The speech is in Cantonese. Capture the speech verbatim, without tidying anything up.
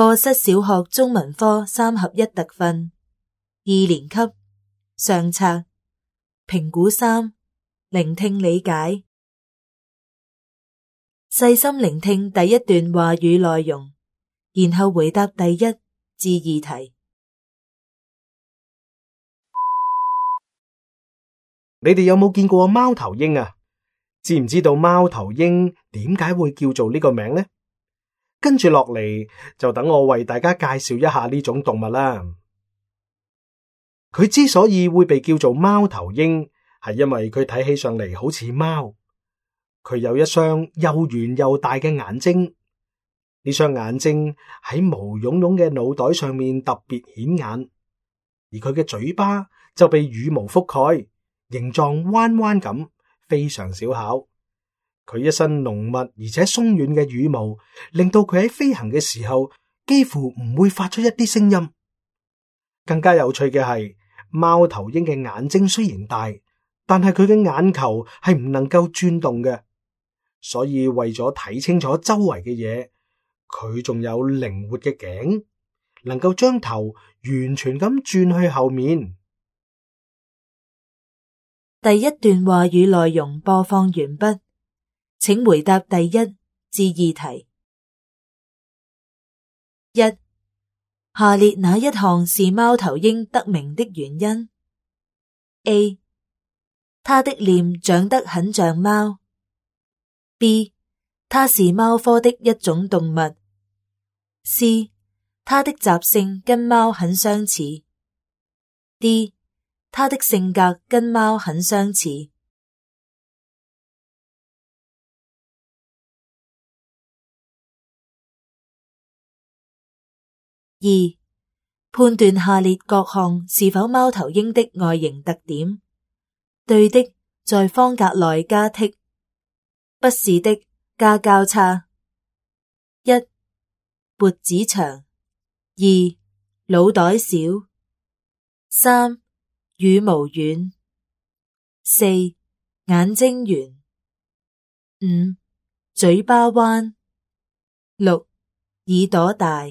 課室小學中文科三合一特訓，二年級上冊，評估三，聆聽理解。細心聆聽第一段話語內容，然後回答第一至二題。你哋有冇見過貓頭鷹啊？知唔知道貓頭鷹點解會叫做呢個名呢？跟住落嚟就等我為大家介紹一下呢種動物啦。佢之所以會被叫做貓頭鷹，係因為佢睇起上嚟好似貓。佢有一雙又圓又大嘅眼睛，呢雙眼睛喺毛茸茸嘅腦袋上面特別顯眼，而佢嘅嘴巴就被羽毛覆蓋，形狀彎彎咁，非常小巧。佢一身濃密而且鬆軟嘅羽毛，令到佢喺飛行嘅時候幾乎唔會發出一啲聲音。更加有趣嘅係，貓頭鷹嘅眼睛雖然大，但係佢嘅眼球係唔能夠轉動嘅，所以為咗睇清楚周圍嘅嘢，佢仲有靈活嘅頸，能夠將頭完全咁轉去後面。第一段話語內容播放完畢，請回答第一至二題。一、下列哪一項是貓頭鷹得名的原因 ？A. 它的臉長得很像貓。B. 它是貓科的一種動物。C. 它的習性跟貓很相似。D. 它的性格跟貓很相似。二、判斷下列各項是否貓頭鷹的外形特點。對的，在方格內加剔；不是的，加交叉。一、脖子長；二、腦袋小；三、羽毛軟；四、眼睛圓；五、嘴巴彎；六、耳朵大。